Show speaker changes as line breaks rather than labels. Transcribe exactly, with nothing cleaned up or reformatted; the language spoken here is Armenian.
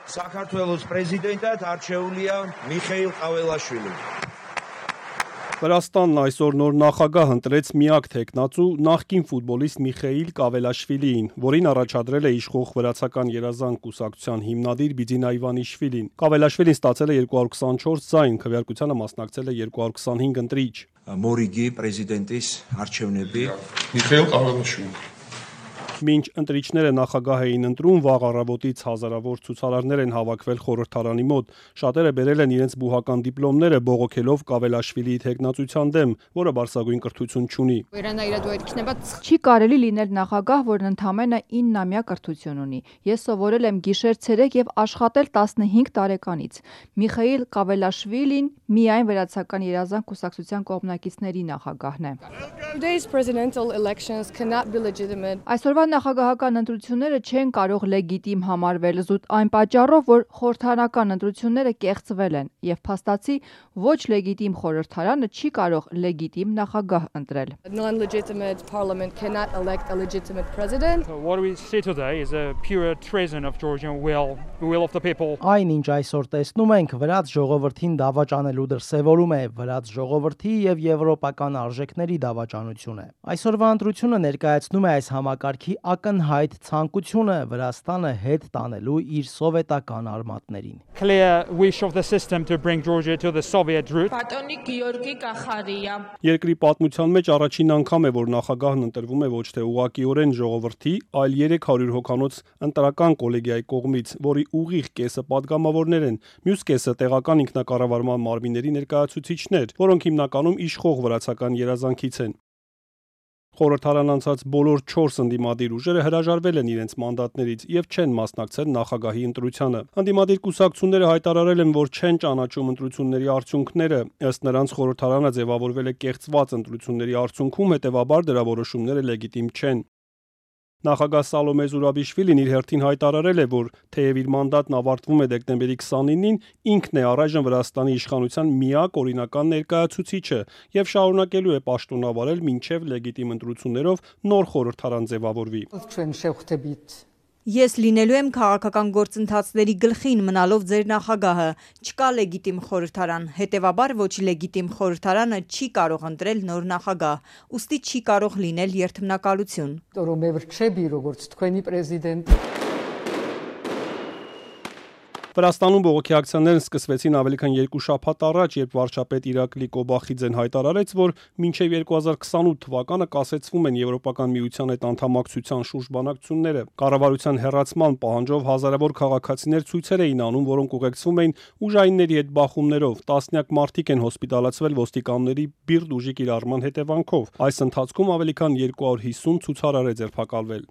Საქართველოს պրեզիդենտად արչեuli է Միխեիլ Ղավելաշվիլին։
Վրաստանն այսօր նոր նախագահ ընտրեց միակ թեկնածու նախկին ֆուտբոլիստ Միխեիլ Կավելաշվիլիին, որին առաջադրել է իշխող վրացական երազանք կուսակցության հիմնադիր Բիձինա Իվանիշվիլին։ Կավելաշվիլին ստացել է երկու հարյուր քսանչորս ձայն, քվեարկությանը մասնակցել է երկու հարյուր քսանհինգ ընտրիչ։
Մորիգի պրեզիդենտիս արչևնեբի
Միխեիլ Կավելաշվիլին։
Մինչ ընտրիչները նախագահ էին ընտրում, վաղ առավոտից հազարավոր ցուցարարներ են հավաքվել խորհրդարանի մոտ։ Շատերը բերել են իրենց բուհական դիպլոմները, բողոքելով Կավելաշվիլիի թեկնածության դեմ, որը բարձրագույն կրթություն չունի։
Չի կարելի լինել նախագահ, որն ընդամենը իննամյա կրթություն ունի։ Ես սովորել եմ գիշեր-ցերեկ եւ աշխատել տասնհինգ տարեկանից։ Միխեիլ Կավելաշվիլին միայն վրացական երազանք կուսակցության կողմնակիցների նախագահն է։ Այսօրվա նախագահական ընտրությունները չեն կարող լեգիտիմ համարվել զուտ այն պատճառով, որ խորհրդարանական ընտրությունները կեղծվել են եւ փաստացի ոչ լեգիտիմ խորհրդարանը չի կարող լեգիտիմ նախագահ ընտրել։
Այն, ինչ այսօր տեսնում ենք, վրաց ժողովրդին դավաճանելու դրսևորում է, վրաց ժողովրդի եւ եվրոպական արժեքների դավաճանություն է։ Այսօրվա ընտրությունը ներկայացնում է այս համակարգի ակնհայտ ցանկությունը Վրաստանը հետ տանելու իր սովետական արմատներին։
Երկրի պատմության մեջ առաջին անգամ է, որ նախագահն ընտրվում է ոչ թե ուղղակիորեն ժողովրդի, այլ երեք հարյուր հոգանոց ընտրական կոլեգիայի կողմից, որի ուղիղ կեսը падգամավորներ են, մյուս կեսը տեղական ինքնակառավարման մարմինների ներկայացուցիչներ, որոնք հիմնականում իշխող վրացական երազանքից են։ Խորհրդարան անցած բոլոր չորս ընդդիմադիր ուժերը հրաժարվել են իրենց մանդատներից եւ չեն մասնակցել նախագահի ընտրությանը։ Ընդդիմադիր կուսակցությունները հայտարարել են, որ չեն ճանաչում ընտրությունների արդյունքները։ Ըստ նրանց խորհրդարանը ձևավորվել է կեղծված ընտրությունների արդյունքում, հետեւաբար դրա որոշումները լեգիտիմ չեն։ Նախագահ Սալոմե Զուրաբիշվիլին իր հերթին հայտարարել է, որ թեև իր մանդատն ավարտվում է դեկտեմբերի քսանինին, ինքն է առայժմ Վրաստանի իշխանության միակ օրինական ներկայացուցիչը եւ շարունակելու է պաշտոնավարել մինչեւ լեգիտիմ ընտրություններով նոր խորհրդարան ձևավորվի։
Ես լինելու եմ քաղաքական գործընթացների գլխին մնալով ձեր նախագահը, չկա լեգիտիմ խորհրդարան, հետևաբար ոչ լեգիտիմ խորհրդարանը չի կարող ընտրել նոր նախագահ, ուստի չի կարող լինել երդմնակալություն։
Վրաստանում բողոքի ակցիաներն սկսվեցին ավելի քան երկու շաբաթ առաջ, երբ վարչապետ Իրակլի Կոբախիձեն հայտարարեց, որ մինչև երկու հազար քսանութ թվականը կասեցվում են Եվրոպական միության հետ անդամակցության շուրջ բանակցությունները։ Կառավարության հեռացման պահանջով հազարավոր քաղաքացիներ ցույցեր էին անում, որոնք ուղեկցվում էին ուժայինների հետ բախումներով։ Տասնյակ մարդիկ են հոսպիտալացվել ոստիկանների բիրտ ուժի կիրառման հետևանքով։ Այս ընթացքում ավելի քան երկու հարյուր հիսուն ցուցարար է ձերբակալվել։